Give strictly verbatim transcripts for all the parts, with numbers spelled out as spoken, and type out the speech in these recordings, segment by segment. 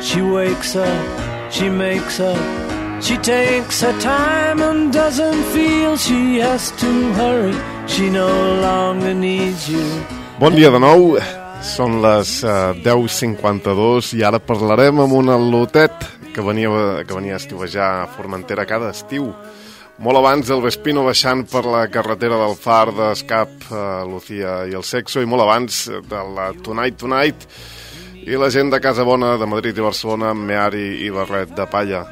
She wakes up, she makes up, she takes her time and doesn't feel she has to hurry. She no longer needs you. Bon dia de nou, són les uh, deu cinquanta-dos i ara parlarem amb un al·lotet que venia, que venia a estiuejar a Formentera cada estiu. Molt abans del Vespino baixant per la carretera del Far d'Escap, uh, Lucía i el Sexo, i molt abans de la Tonight Tonight i la gent de Casa Bona, de Madrid i Barcelona, amb Meari i Barret de Palla.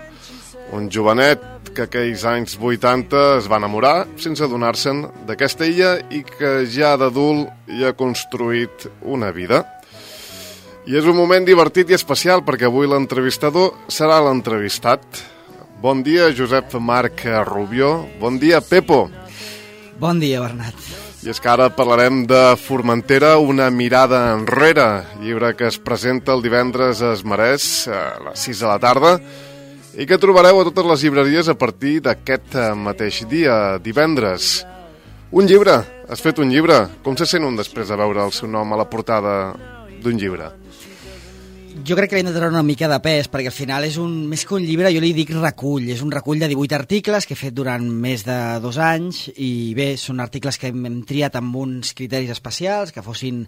Un jovenet que aquells anys vuitanta es va enamorar sense adonar-se'n d'aquesta illa i que ja d'adult hi ha construït una vida. I és un moment divertit i especial perquè avui l'entrevistador serà l'entrevistat. Bon dia, Josep Marc Rubió. Bon dia, Pepo. Bon dia, Bernat. I és que ara parlarem de Formentera, una mirada enrere, llibre que es presenta el divendres a Esmarès a les sis de la tarda i que trobareu a totes les llibreries a partir d'aquest mateix dia, divendres. Un llibre, has fet un llibre. Com se sent un després de veure el seu nom a la portada d'un llibre? Jo crec que li hem de treure una mica de pes, perquè al final és un, més que un llibre, jo li dic recull. És un recull de divuit articles que he fet durant més de dos anys i bé, són articles que hem, hem triat amb uns criteris especials, que fossin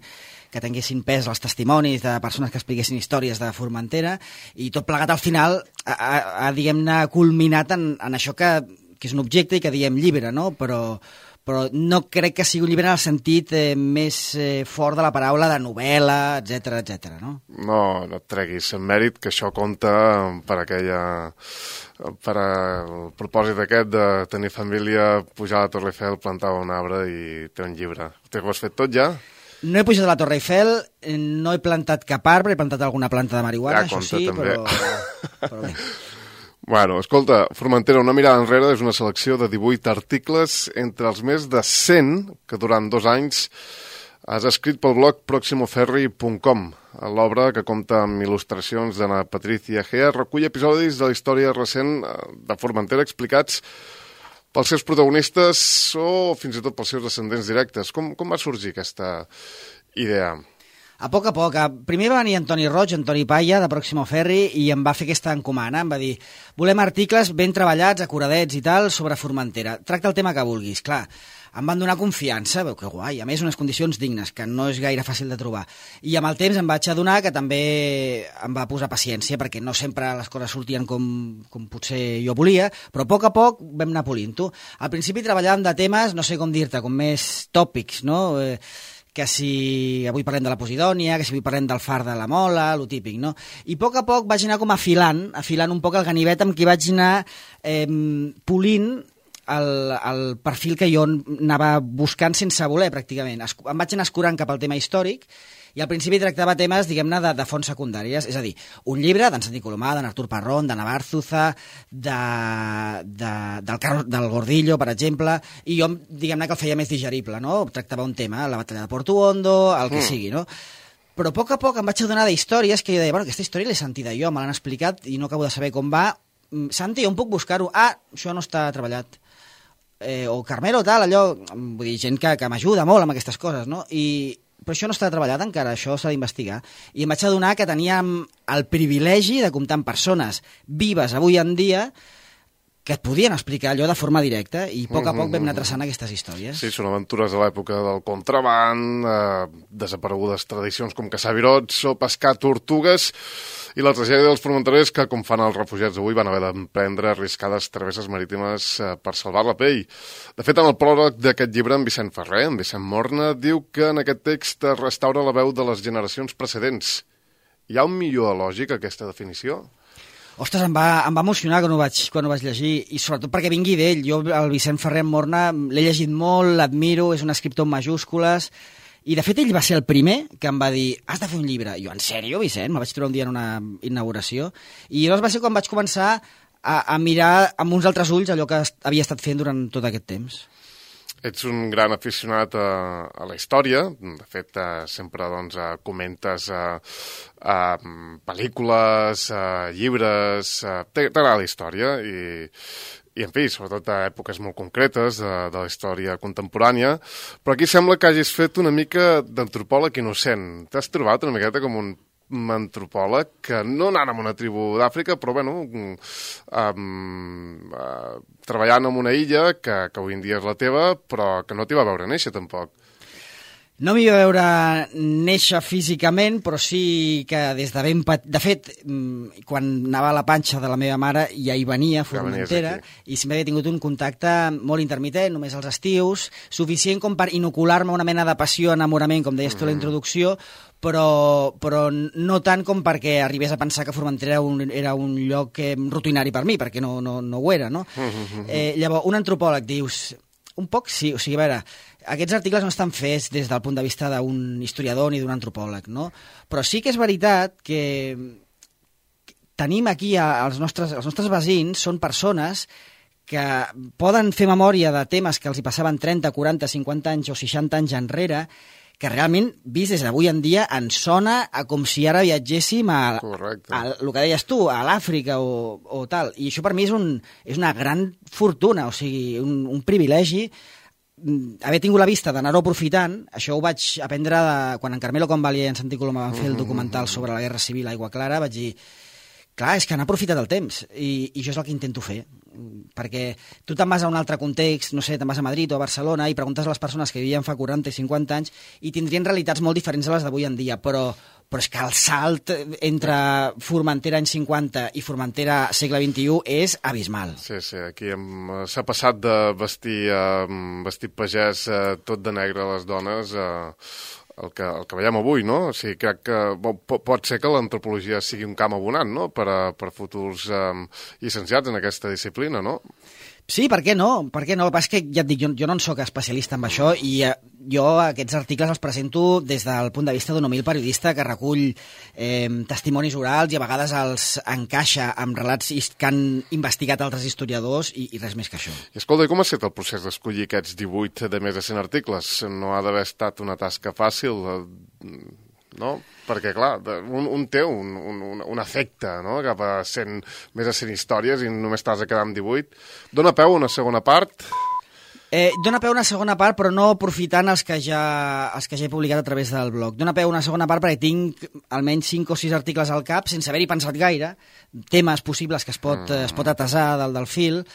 que tinguessin pes els testimonis de persones que expliquessin històries de Formentera, i tot plegat al final ha, ha, ha diguem-ne, culminat en, en això que, que és un objecte i que diem llibre, no? Però, però no crec que sigui un llibre en el sentit eh, més eh, fort de la paraula de novel·la, etcètera, etcètera, no? No, no et treguis en mèrit, que això compta per aquella... per al propòsit aquest de tenir família, pujar a la Torre Eiffel, plantar un arbre i té un llibre. Ho has fet tot ja? No he pujat a la Torre Eiffel, no he plantat cap arbre, he plantat alguna planta de marihuana, ja, això sí, també. però, però bé. Bueno, escolta, Formentera, una mirada enrere és una selecció de divuit articles entre els més de cent que durant dos anys has escrit pel blog proximoferri punt com. L'obra, que compta amb il·lustracions d'Anna Patricia Gea, recull episodis de la història recent de Formentera explicats pels seus protagonistes o fins i tot pels seus descendents directes. Com, com va sorgir aquesta idea? A poc a poc. Primer va venir Antoni Roig, Antoni Palla, de Pròximo Ferri, i em va fer aquesta encomana. Em va dir, volem articles ben treballats, acuradets i tal, sobre Formentera. Tracta el tema que vulguis. Clar, em van donar confiança, veu que guai, a més unes condicions dignes, que no és gaire fàcil de trobar. I amb el temps em vaig adonar que també em va posar paciència, perquè no sempre les coses sortien com, com potser jo volia, però a poc a poc vam anar polint-ho. Al principi treballàvem de temes, no sé com dir-te, com més tòpics, no?, eh, que si avui parlem de la Posidònia, que si avui parlem del Far de la Mola, lo típic, no? I a poc a poc vaig anar com afilant, afilant un poc el ganivet amb qui vaig anar eh, polint el, el perfil que jo anava buscant sense voler, pràcticament. Es, em vaig anar escurant cap al tema històric i al principi tractava temes, diguem-ne, de, de fonts secundàries, és a dir, un llibre d'en Santi Colomà, d'en Artur Parrón, de Navarzuza, de, de, del, Carlos, del Gordillo, per exemple, i jo, diguem-ne, que el feia més digerible, no? Tractava un tema, la batalla de Porto Hondo, el que mm. sigui, no? Però a poc a poc em vaig adonar d'històries que jo deia, bueno, aquesta història l'he sentida jo, me l'han explicat i no acabo de saber com va. Santi, on puc buscar-ho? Ah, això no està treballat. Eh, o Carmelo, tal, allò... Vull dir, gent que, que m'ajuda molt amb aquestes coses, no? I... però això no està treballat encara, això s'ha d'investigar. I em vaig adonar que teníem el privilegi de comptar amb persones vives avui en dia que et podien explicar allò de forma directa i a poc a poc vam anar traçant aquestes històries. Sí, són aventures de l'època del contraband, eh, desaparegudes tradicions com caçar virots o pescar tortugues i la tragèdia dels formenterers que, com fan els refugiats avui, van haver d'emprendre arriscades travesses marítimes eh, per salvar la pell. De fet, en el pròleg d'aquest llibre, en Vicent Ferrer, en Vicent Morna, diu que en aquest text es restaura la veu de les generacions precedents. Hi ha un millor lògic a aquesta definició? Ostres, em va, em va emocionar quan ho, vaig, quan ho vaig llegir, i sobretot perquè vingui d'ell. Jo, el Vicent Ferrer Morna, l'he llegit molt, l'admiro, és un escriptor amb majúscules, i de fet ell va ser el primer que em va dir, has de fer un llibre. I jo, en sèrio, Vicent? Me vaig trobar un dia en una inauguració. I llavors va ser quan vaig començar a, a mirar amb uns altres ulls allò que havia estat fent durant tot aquest temps. Ets un gran aficionat a, a la història, de fet eh, sempre doncs, eh, comentes eh, eh, pel·lícules, eh, llibres, eh, t'agrada la història i, i en fi, sobretot a èpoques molt concretes de, de la història contemporània, però aquí sembla que hagis fet una mica d'antropòleg innocent. T'has trobat una miqueta com un antropòleg que no anant amb una tribu d'Àfrica, però bueno, um, uh, treballant en una illa que, que avui en dia és la teva, però que no t'hi va veure néixer tampoc. No m'hi va veure néixer físicament, però sí que des de ben petit... De fet, quan anava a la panxa de la meva mare ja hi venia, a Formentera, i sempre havia tingut un contacte molt intermitent, només als estius, suficient com per inocular-me una mena de passió, enamorament, com deies tu a la introducció, però, però no tant com perquè arribés a pensar que Formentera era un, era un lloc eh, rutinari per mi, perquè no, no, no ho era, no? Eh, llavors, un antropòleg, dius... Un poc sí, o sigui, a veure, aquests articles no estan fets des del punt de vista d'un historiador ni d'un antropòleg, no? Però sí que és veritat que tenim aquí els nostres, els nostres veïns, són persones que poden fer memòria de temes que els hi passaven trenta, quaranta, cinquanta anys o seixanta anys enrere, que realment, vist des d'avui en dia, ens sona a com si ara viatgéssim a, a el que deies tu, a l'Àfrica o, o tal. I això per mi és, un, és una gran fortuna, o sigui, un, un privilegi. Haver tingut la vista d'anar-ho aprofitant, això ho vaig aprendre de, quan en Carmelo Convalia i en Santi Coloma van fer el documental sobre la Guerra Civil a Aigua Clara, vaig dir, clar, és que han aprofitat el temps, i, i això és el que intento fer, perquè tu te'n vas a un altre context, no sé, te'n vas a Madrid o a Barcelona i preguntes a les persones que vivien fa quaranta i cinquanta anys i tindrien realitats molt diferents a les d'avui en dia, però, però és que el salt entre Formentera anys cinquanta i Formentera segle vint-i-u és abismal. Sí, sí, aquí s'ha passat de vestir, uh, vestit pagès uh, tot de negre a les dones a... Uh, El que, el que veiem avui, no? O sigui, crec que pot ser que l'antropologia sigui un camp abonant, no?, per, a, per futurs um, llicenciats en aquesta disciplina, no? Sí, per què no? Per què no? El que passa és que, ja et dic, jo, jo no en soc especialista en això i eh, jo aquests articles els presento des del punt de vista d'un humil periodista que recull eh, testimonis orals i a vegades els encaixa amb relats que han investigat altres historiadors i, i res més que això. I escolta, com ha estat el procés d'escollir aquests divuit de més de cent articles? No ha d'haver estat una tasca fàcil, no? Perquè, clar, un, un té un, un, un efecte, no?, cap a cent, més de cent històries i només t'has de quedar amb divuit. Dóna peu a una segona part? Eh, dóna peu a una segona part, però no aprofitant els que, ja, els que ja he publicat a través del blog. Dóna peu a una segona part perquè tinc almenys cinc o sis articles al cap, sense haver-hi pensat gaire, temes possibles que es pot, mm. es pot atesar del, del fil,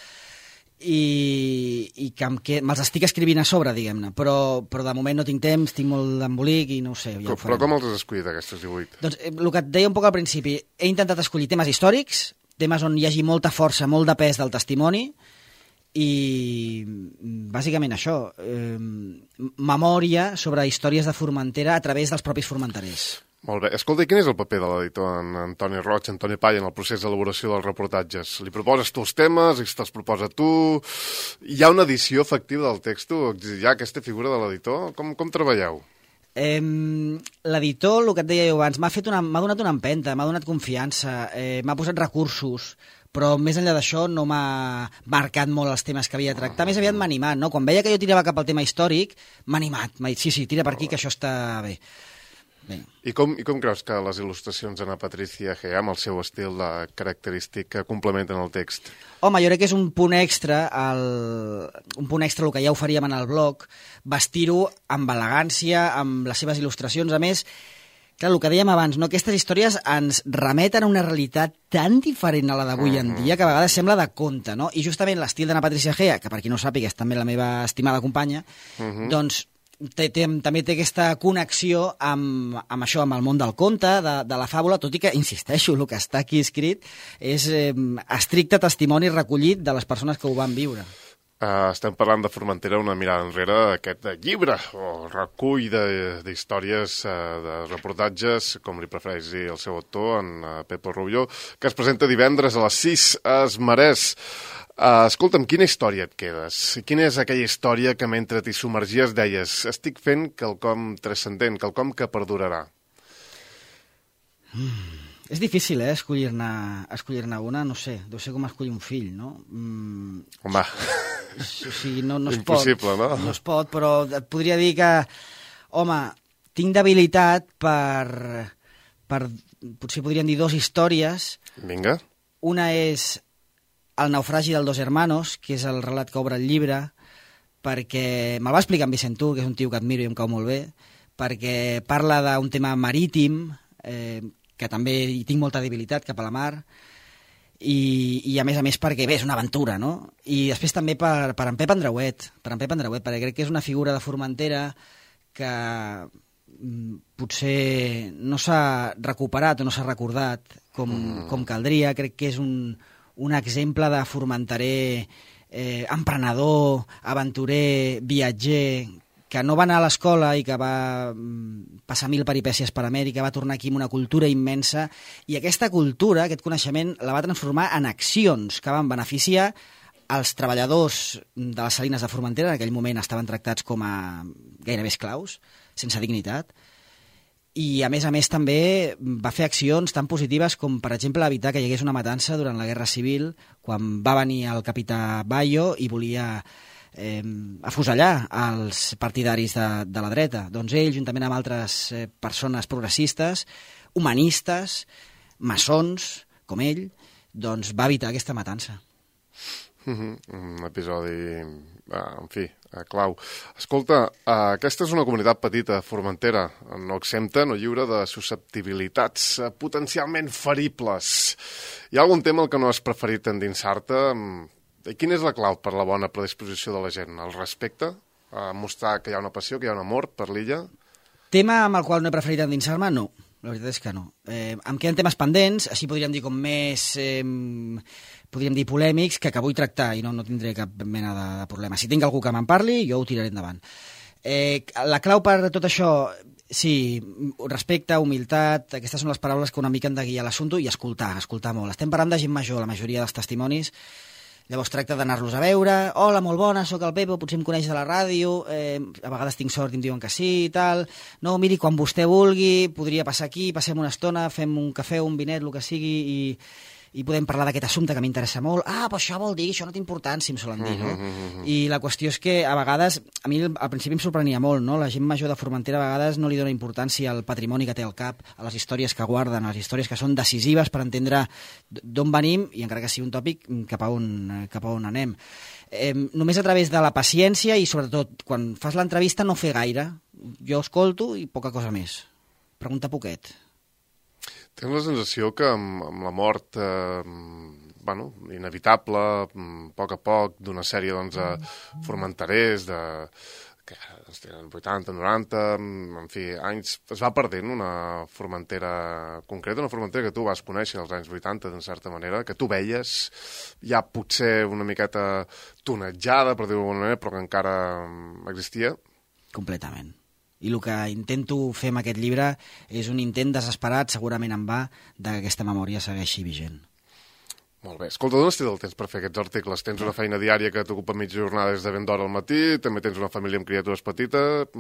i, i que, que me'ls estic escrivint a sobre, diguem-ne, però, però de moment no tinc temps, tinc molt d'embolic i no ho sé. Ja com, però com els has escollit, aquests divuit? Doncs eh, el que et deia un poc al principi, he intentat escollir temes històrics, temes on hi hagi molta força, molt de pes del testimoni, i bàsicament això, eh, memòria sobre històries de Formentera a través dels propis formenterers. Molt bé. Escolta, quin és el paper de l'editor en Antoni Roig, Antoni Palla, en el procés d'elaboració dels reportatges? Li proposes tu els temes, i te'ls proposa tu? Hi ha una edició efectiva del text? Hi ha aquesta figura de l'editor? Com, com treballeu? Eh, L'editor, el que et deia jo abans, m'ha fet una, m'ha donat una empenta, m'ha donat confiança, eh, m'ha posat recursos, però més enllà d'això no m'ha marcat molt els temes que havia de tractar, més aviat m'ha animat, no? Quan veia que jo tirava cap al tema històric, m'ha animat, m'ha dit, sí, sí, tira per aquí, que això està bé. Bé. I com, I com creus que les il·lustracions d'Anna Patricia Gea, amb el seu estil característic, complementen el text? Home, jo crec que és un punt extra, el, un punt extra el que ja oferíem en el blog, vestir-ho amb elegància, amb les seves il·lustracions. A més, clar, el que dèiem abans, no? Aquestes històries ens remeten a una realitat tan diferent a la d'avui en dia que a vegades sembla de conte, no? I justament l'estil d'Anna Patricia Gea, que per qui no ho sàpiga és també la meva estimada companya, uh-huh. doncs Té, té, també té aquesta connexió amb, amb això, amb el món del conte, de, de la fàbula, tot i que, insisteixo, el que està aquí escrit és eh, estricte testimoni recollit de les persones que ho van viure. Uh, estem parlant de Formentera, una mirada enrere, aquest llibre o recull d'històries, uh, de reportatges, com li prefereix dir el seu autor, en uh, Pepe Rubió, que es presenta divendres a les sis a Esmarès. Uh, escolta'm, quina història et quedes? Quina és aquella història que mentre t'hi submergies deies estic fent quelcom transcendent, quelcom que perdurarà? Mm, és difícil, eh, escollir-ne escollir-ne una, no sé, deu ser com escollir un fill, no? Mm, Home, o sigui, no, no es impossible, pot, no? No es pot, però et podria dir que, home, tinc debilitat per, per potser podríem dir dos històries. Vinga. Una és El naufragi dels dos hermanos, que és el relat que obre el llibre, perquè me'l va explicar en Vicentú, que és un tio que admiro i em cau molt bé, perquè parla d'un tema marítim, eh, que també hi tinc molta debilitat cap a la mar, i, i a més a més perquè, bé, és una aventura, no? I després també per, per en Pep Andreuet, per en Pep Andreuet, perquè crec que és una figura de Formentera que potser no s'ha recuperat o no s'ha recordat com, mm. com caldria. Crec que és un, un exemple de formenterer eh, emprenedor, aventurer, viatger, que no va anar a l'escola i que va passar mil peripècies per Amèrica, va tornar aquí amb una cultura immensa, i aquesta cultura, aquest coneixement, la va transformar en accions que van beneficiar els treballadors de les salines de Formentera. En aquell moment estaven tractats com a gairebé esclaus, sense dignitat, i a més a més també va fer accions tan positives com, per exemple, evitar que hi hagués una matança durant la Guerra Civil, quan va venir el capità Bayo i volia eh, afusellar els partidaris de, de la dreta. Doncs ell, juntament amb altres eh, persones progressistes, humanistes, maçons, com ell, doncs va evitar aquesta matança. Un episodi, en fi, clau. Escolta, aquesta és una comunitat petita, Formentera, no exempta, no lliure de susceptibilitats potencialment feribles. Hi ha algun tema al que no has preferit endinsar-te? Quina és la clau per la bona predisposició de la gent? El respecte? A mostrar que hi ha una passió, que hi ha un amor per l'illa? Tema amb el qual no he preferit endinsar-me? No. La veritat és que no. Eh, em queden temes pendents, així podríem dir com més, eh, podríem dir polèmics, que, que vull tractar i no, no tindré cap mena de, de problema. Si tinc algú que me'n parli, jo ho tiraré endavant. Eh, la clau per tot això, sí, respecte, humilitat, aquestes són les paraules que una mica han de guiar l'assumpte, i escoltar, escoltar molt. Estem parlant de gent major, la majoria dels testimonis. Llavors tracta d'anar-los a veure, hola, molt bona, sóc el Pepo, potser em coneix de la ràdio, eh, a vegades tinc sort i em diuen que sí i tal, no, miri, quan vostè vulgui, podria passar aquí, passem una estona, fem un cafè, un vinet, el que sigui, i, i podem parlar d'aquest assumpte que m'interessa molt. Ah, però això vol dir, això no té importància, em solen dir, no? Mm-hmm. I la qüestió és que a vegades, a mi al principi em sorprenia molt, no? La gent major de Formentera a vegades no li dona importància al patrimoni que té al cap, a les històries que guarden, a les històries que són decisives per entendre d'on venim i, encara que sigui un tòpic, cap a on, cap a on anem. Eh, només a través de la paciència i, sobretot, quan fas l'entrevista no fer gaire. Jo escolto i poca cosa més. Pregunta poquet. Tens la sensació que amb, amb la mort eh, bueno, inevitable, a poc a poc, d'una sèrie doncs, de formenterers, de, que doncs, tenen vuitanta, noranta, en fi, anys, es va perdent una Formentera concreta, una Formentera que tu vas conèixer als anys vuitanta, d'una certa manera, que tu veies ja potser una miqueta tonejada, per dir-ho d'alguna manera, però que encara existia? Completament. I el que intento fer amb aquest llibre és un intent desesperat, segurament en va, que aquesta memòria segueixi vigent. Molt bé. Escolta, d'on has tret el temps per fer aquests articles? Tens una feina diària que t'ocupa mitja jornada des de ben d'hora al matí, també tens una família amb criatures petites.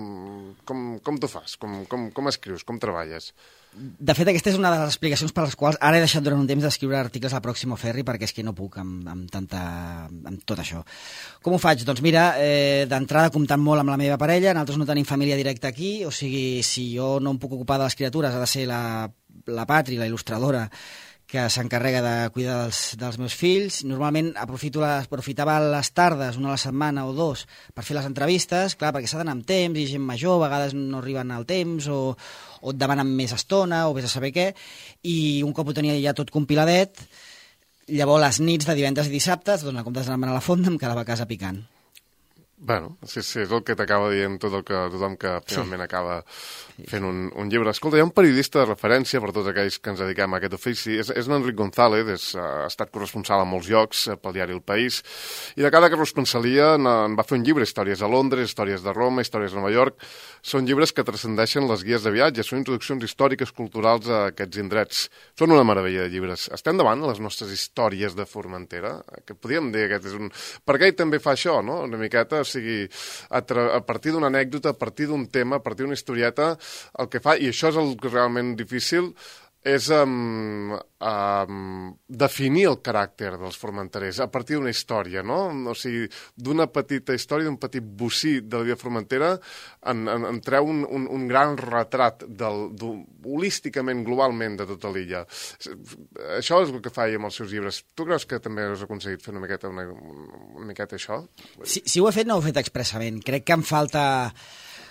Com, com t'ho fas? Com, com, com escrius? Com treballes? De fet, aquesta és una de les explicacions per les quals ara he deixat durant un temps d'escriure articles a Próximo Ferry, perquè és que no puc amb, amb, tanta, amb tot això. Com ho faig? Doncs mira, eh, d'entrada comptant molt amb la meva parella, nosaltres no tenim família directa aquí, o sigui, si jo no em puc ocupar de les criatures, ha de ser la, la Patri, la il·lustradora, que s'encarrega de cuidar dels, dels meus fills. Normalment aprofito les, aprofitava les tardes, una a la setmana o dos, per fer les entrevistes, clar, perquè s'ha d'anar amb temps, i gent major, a vegades no arriben al temps, o, o et demanen més estona, o vés a saber què, i un cop ho tenia ja tot compiladet, llavors les nits de divendres i dissabtes, doncs en comptes d'anar a la fonda, em quedava a casa picant. Bueno, sí, sí, és el que t'acaba dient tot el que, tothom que finalment sí. acaba fent un, un llibre. Escolta, hi ha un periodista de referència per tots aquells que ens dediquem a aquest ofici. És, és l'Enric González, és, ha estat corresponsal a molts llocs pel diari El País, i de cada corresponsalia en, en va fer un llibre, històries a Londres, històries de Roma, històries a Nova York. Són llibres que transcendeixen les guies de viatge, són introduccions històriques, culturals a aquests indrets. Són una meravella de llibres. Estem davant les nostres històries de Formentera, que podríem dir que és un... Per què ell també fa això, no? Una miqueta, o sigui, a, a partir d'una anècdota, a partir d'un tema, a partir d'una historieta, el que fa, i això és el que és realment difícil, és um, um, definir el caràcter dels formenterers a partir d'una història, no? O sigui, d'una petita història, d'un petit bocí de la vida formentera, en, en, en treu un, un, un gran retrat del, del, holísticament, globalment, de tota l'illa. Això és el que fa ell amb els seus llibres. Tu creus que també has aconseguit fer una miqueta, una, una miqueta això? Si, si ho he fet, no ho he fet expressament. Crec que em falta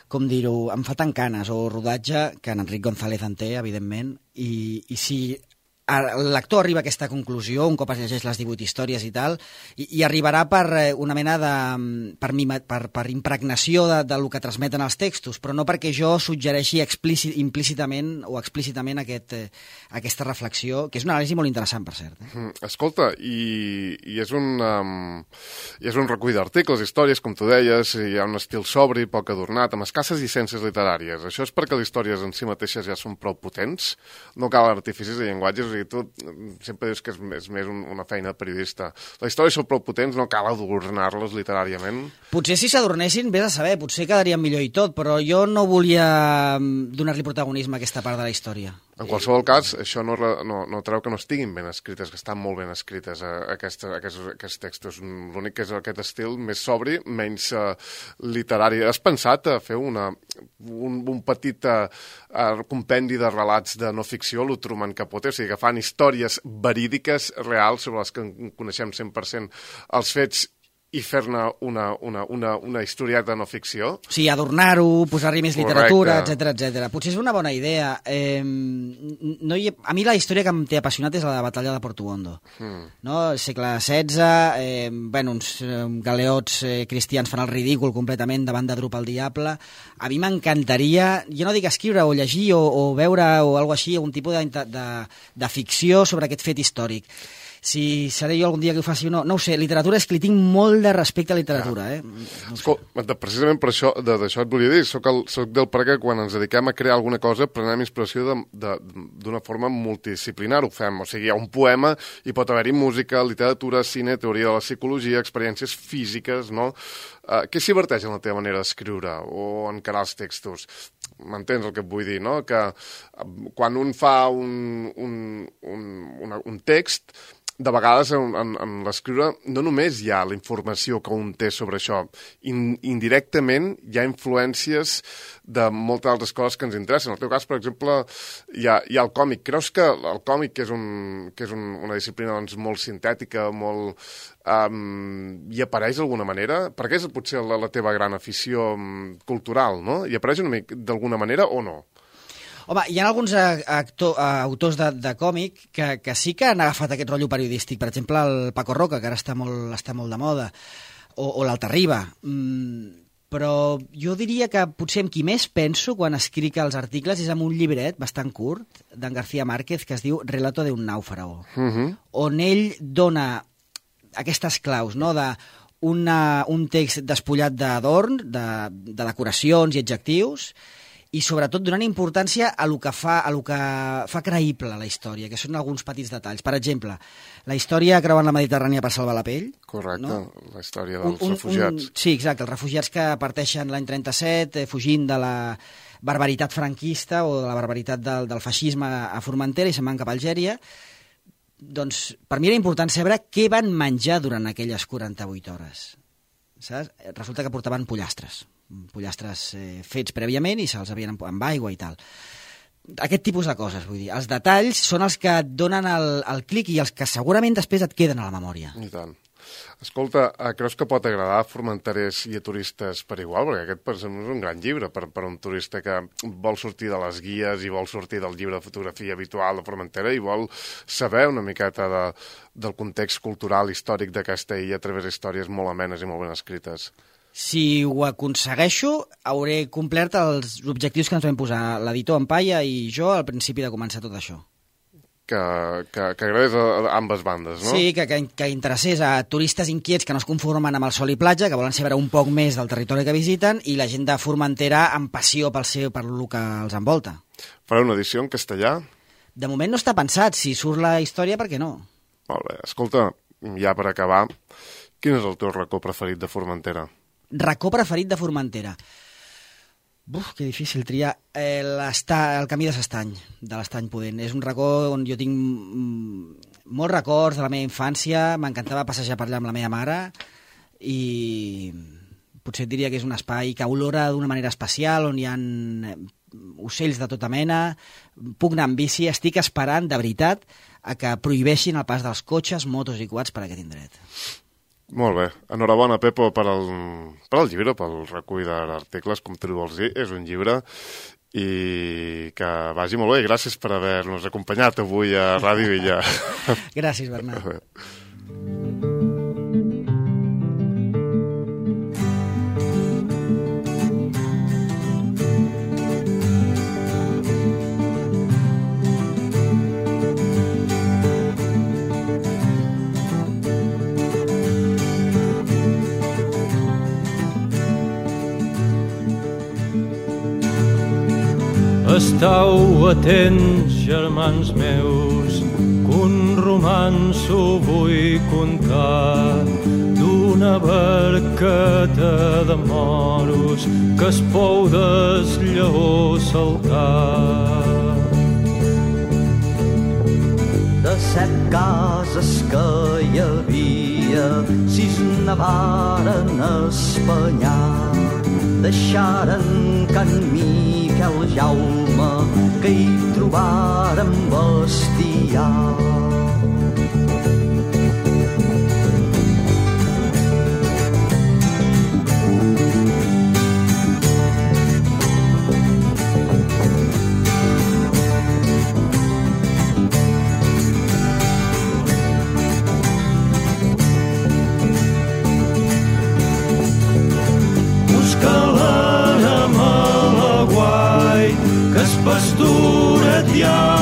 com dir-ho, em fa tant canes, o rodatge, que en Enric González en té, evidentment, i, i si l'actor arriba a aquesta conclusió, un cop es llegeix les divuit històries i tal, i, i arribarà per una mena de... per, mima, per, per impregnació de, de lo que transmeten els textos, però no perquè jo suggereixi explícit, implícitament o explícitament aquest, eh, aquesta reflexió, que és una anàlisi molt interessant, per cert. Eh? Mm, escolta, i, i és un, um, i és un recull d'articles, històries, com tu deies, hi ha un estil sobri, poc adornat, amb escasses llicències literàries. Això és perquè les històries en si mateixes ja són prou potents? No cal artificis de llenguatges? O sigui, tu sempre dius que és, és més un, una feina de periodista. Les històries són prou potents, no cal adornar-les literàriament? Potser si s'adornessin, vés a saber, potser quedarien millor i tot, però jo no volia donar-li protagonisme a aquesta part de la història. En qualsevol cas, això no, no, no treu que no estiguin ben escrites, que estan molt ben escrites eh, aquests, aquests, aquests textos. L'únic que és aquest estil més sobri, menys eh, literari. Has pensat a fer una, un, un petit eh, compendi de relats de no ficció, lo Truman Capote, o sigui, que fan històries verídiques, reals, sobre les que coneixem cent per cent els fets, i fer-ne una, una, una, una historieta no ficció? Sí, adornar-ho, posar-hi més literatura, etcètera, etcètera. Potser és una bona idea. Eh, no hi ha... A mi la història que em té apassionat és la de la batalla de Porto Hondo. Mm. No? Segle setze, eh, bueno, uns eh, galeots eh, cristians fan el ridícul completament davant de Drupa el Diable. A mi m'encantaria, jo no dic escriure o llegir o, o veure o alguna així, algun tipus de, de, de ficció sobre aquest fet històric. Si seré jo algun dia que ho faci o no, no ho sé, literatura és que li tinc molt de respecte a literatura, eh? No Escol, precisament per això, d'això et volia dir, soc, el, soc del pare que quan ens dediquem a crear alguna cosa prenem inspiració d'una forma multidisciplinar, ho fem, o sigui, hi ha un poema i pot haver-hi música, literatura, cine, teoria de la psicologia, experiències físiques, no? Uh, què s'hi verteix en la teva manera d'escriure o encarar els textos? M'entens el que et vull dir, no? Que quan un fa un, un, un, una, un text, de vegades en, en, en l'escriure no només hi ha la informació que un té sobre això, In, indirectament hi ha influències de moltes altres coses que ens interessen. En el teu cas, per exemple, hi ha, hi ha el còmic. Creus que el còmic, que és, un, que és un, una disciplina doncs, molt sintètica, molt... Um, hi apareix d'alguna manera? Perquè és potser la, la teva gran afició um, cultural, no? Hi apareix una mica d'alguna manera o no? Home, hi ha alguns actor, autors de, de còmic que, que sí que han agafat aquest rotllo periodístic. Per exemple, el Paco Roca, que ara està molt, està molt de moda, o, o l'Altarriba. Mm, però jo diria que potser amb qui més penso quan escric els articles és amb un llibret bastant curt d'en García Márquez que es diu Relato de un náufrago, uh-huh. on ell dona aquestes claus, no?, de una, un text despullat d'adorn, de, de decoracions i adjectius, i sobretot donant importància a lo que fa, a lo que fa creïble la història, que són alguns petits detalls. Per exemple, la història creuant la Mediterrània per salvar la pell. Correcte, no? La història dels un, un, refugiats. Un, sí, exacte, els refugiats que parteixen l'any trenta-set, eh, fugint de la barbaritat franquista o de la barbaritat del, del feixisme a Formentera i se'n van cap a Algèria. Doncs per mi era important saber què van menjar durant aquelles quaranta-vuit hores. Saps? Resulta que portaven pollastres. pollastres eh, fets prèviament i se'ls havien amb, amb aigua i tal. Aquest tipus de coses, vull dir. Els detalls són els que et donen el, el clic i els que segurament després et queden a la memòria. I tant. Escolta, creus que pot agradar a formenterers i a turistes per igual? Perquè aquest per exemple, és un gran llibre per, per un turista que vol sortir de les guies i vol sortir del llibre de fotografia habitual de Formentera i vol saber una miqueta de, del context cultural, històric d'aquesta illa a través d'històries molt amenes i molt ben escrites. Si ho aconsegueixo, hauré complert els objectius que ens vam posar l'editor en Palla i jo al principi de començar tot això. Que, que, que agradés a, a ambes bandes, no? Sí, que, que, que interessés a turistes inquiets que no es conformen amb el sol i platja, que volen saber un poc més del territori que visiten, i la gent de Formentera amb passió pel seu, per el que els envolta. Farà una edició en castellà? De moment no està pensat. Si surt la història, per què no? Molt bé. Escolta, ja per acabar, quin és el teu racó preferit de Formentera? Racó preferit de Formentera. Buf, que difícil triar. Eh, el camí de l'Estany, de l'Estany Pudent. És un racó on jo tinc molts records de la meva infància, m'encantava passejar per allà amb la meva mare i potser et diria que és un espai que olora d'una manera especial, on hi ha ocells de tota mena, puc anar amb bici, estic esperant, de veritat, a que prohibeixin el pas dels cotxes, motos i quads per aquest indret. Molt bé. Enhorabona, Pepo, per al, per al llibre, pel recull d'articles, com tu vols dir. És un llibre i que vagi molt bé. Gràcies per haver-nos acompanyat avui a Ràdio Illa. Gràcies, Bernat. Estau atents, germans meus, que un romanço vull contar d'una barqueta de moros que es pou des lleó saltar. De set cases que hi havia, sis nevaren espanyar. Deixaren Can Miquel Jaume, que hi trobaren bestiar. Pasturet ja